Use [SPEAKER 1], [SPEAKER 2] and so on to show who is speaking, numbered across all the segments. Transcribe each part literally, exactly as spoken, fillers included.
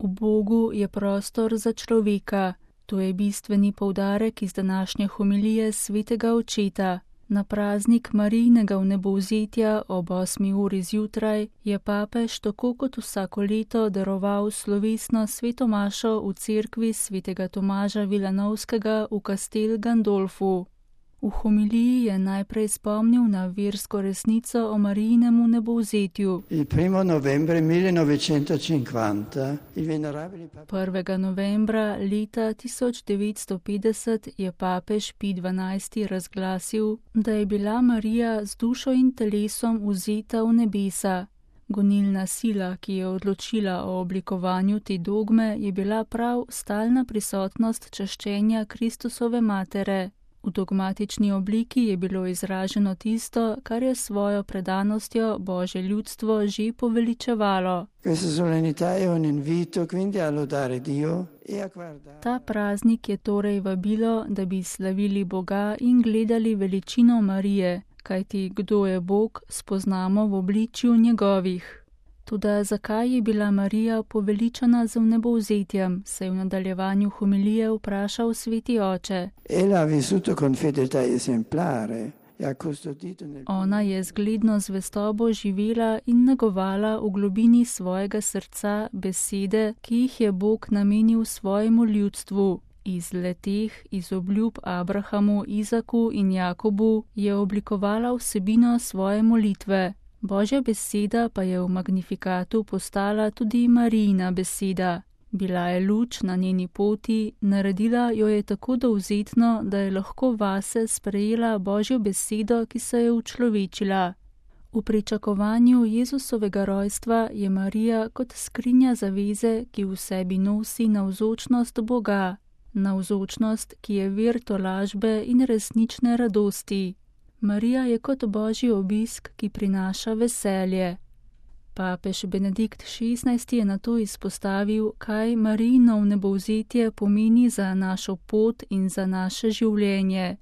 [SPEAKER 1] V Bogu je prostor za človeka. To je bistveni poudarek iz današnje homilije svetega očeta. Na praznik Marijinega vnebovzetja ob osmi uri zjutraj je papež tako kot vsako leto daroval slovesno sveto mašo v cerkvi svetega Tomaža Vilanovskega v Castel Gandolfu. V homiliji je najprej spomnil na versko resnico o Marijinem vnebovzetju. prvega novembra leta tisoč devetsto petdeset je papež Pij dvanajsti razglasil, da je bila Marija z dušo in telesom vzeta v nebesa. Gonilna sila, ki je odločila o oblikovanju te dogme, je bila prav stalna prisotnost čaščenja Kristusove matere. V dogmatični obliki je bilo izraženo tisto, kar je svojo predanostjo Božje ljudstvo že poveličevalo. Ta praznik je torej vabilo, da bi slavili Boga in gledali veličino Marije, kajti kdo je Bog, spoznamo v obličju njegovih. Toda zakaj je bila Marija poveličana z vnebovzetjem, se je v nadaljevanju homilije vprašal sveti oče. Ona je zgledno zvestobo živela in negovala v globini svojega srca besede, ki jih je Bog namenil svojemu ljudstvu. Iz leteh, iz obljub Abrahamu, Izaku in Jakobu je oblikovala vsebino svoje molitve. Božja beseda pa je v Magnifikatu postala tudi Marijina beseda. Bila je luč na njeni poti, naredila jo je tako dovzetno, da je lahko vase sprejela Božjo besedo, ki se je učlovečila. V pričakovanju Jezusovega rojstva je Marija kot skrinja zaveze, ki v sebi nosi navzočnost Boga, navzočnost, ki je vir tolažbe in resnične radosti. Marija je kot Božji obisk, ki prinaša veselje. Papež Benedikt šestnajsti je nato izpostavil, kaj Marijino vnebovzetje pomeni za našo pot in za naše življenje.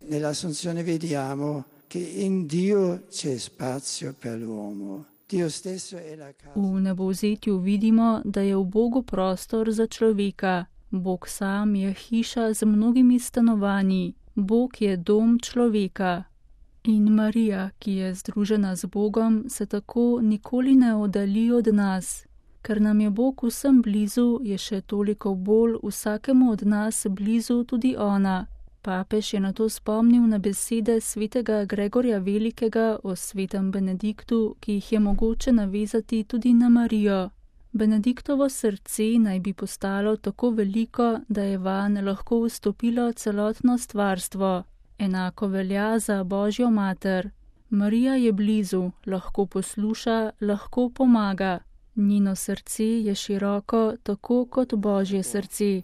[SPEAKER 1] V vnebovzetju vidimo, da je v Bogu prostor za človeka. Bog sam je hiša z mnogimi stanovanji. Bog je dom človeka. In Marija, ki je združena z Bogom, se tako nikoli ne oddalji od nas. Ker nam je Bog vsem blizu, je še toliko bolj vsakemu od nas blizu tudi ona. Papež je nato spomnil na besede svetega Gregorja Velikega o svetem Benediktu, ki jih je mogoče navezati tudi na Marijo. Benediktovo srce naj bi postalo tako veliko, da je vanj lahko vstopilo celotno stvarstvo. Enako velja za Božjo mater. Marija je blizu, lahko posluša, lahko pomaga. Njeno srce je široko, tako kot Božje srce.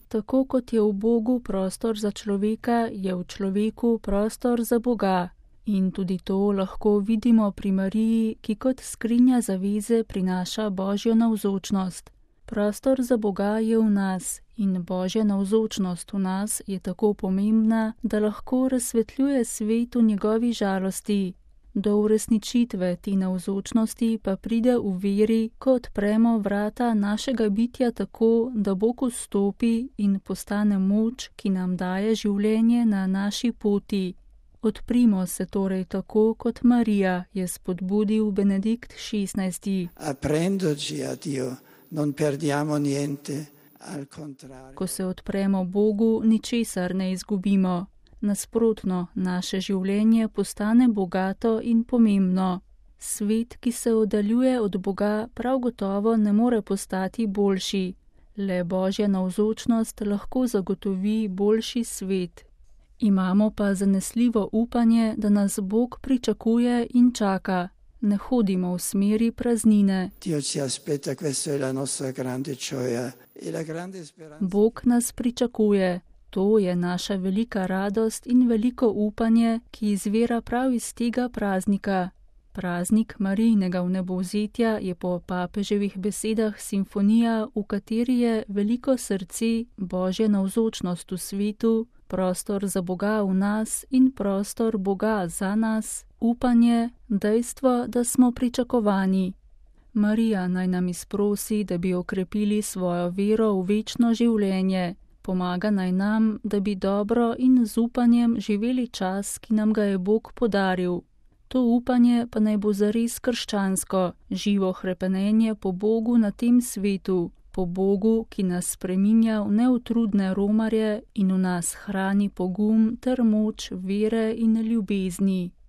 [SPEAKER 1] Tako kot je v Bogu prostor za človeka, je v človeku prostor za Boga. In tudi to lahko vidimo pri Mariji, ki kot skrinja zaveze prinaša Božjo navzočnost. Prostor za Boga je v nas in Božja navzočnost v nas je tako pomembna, da lahko razsvetljuje svet v njegovi žalosti. Do uresničitve te navzočnosti pa pride v veri, ko odpremo vrata našega bitja tako, da Bog vstopi in postane moč, ki nam daje življenje na naši poti. Odprimo se torej tako kot Marija, je spodbudil Benedikt šestnajsti.
[SPEAKER 2] Non perdiamo niente, al
[SPEAKER 1] contrario. Ko se odpremo Bogu, ničesar ne izgubimo. Nasprotno, naše življenje postane bogato in pomembno. Svet, ki se oddaljuje od Boga, prav gotovo ne more postati boljši. Le Božja navzočnost lahko zagotovi boljši svet. Imamo pa zanesljivo upanje, da nas Bog pričakuje in čaka. Ne hodimo v smeri praznine. Bog nas pričakuje. To je naša velika radost in veliko upanje, ki izvira prav iz tega praznika. Praznik Marijinega vnebovzetja je po papeževih besedah simfonija, v kateri je veliko srce, Božja navzočnost v svetu, prostor za Boga v nas in prostor Boga za nas, upanje, dejstvo, da smo pričakovani. Marija naj nam izprosi, da bi okrepili svojo vero v večno življenje. Pomaga naj nam, da bi dobro in z upanjem živeli čas, ki nam ga je Bog podaril. To upanje pa naj bo zares krščansko, živo hrepenenje po Bogu na tem svetu, po Bogu, ki nas spreminja v neutrudne romarje in v nas hrani pogum ter moč vere in ljubezni.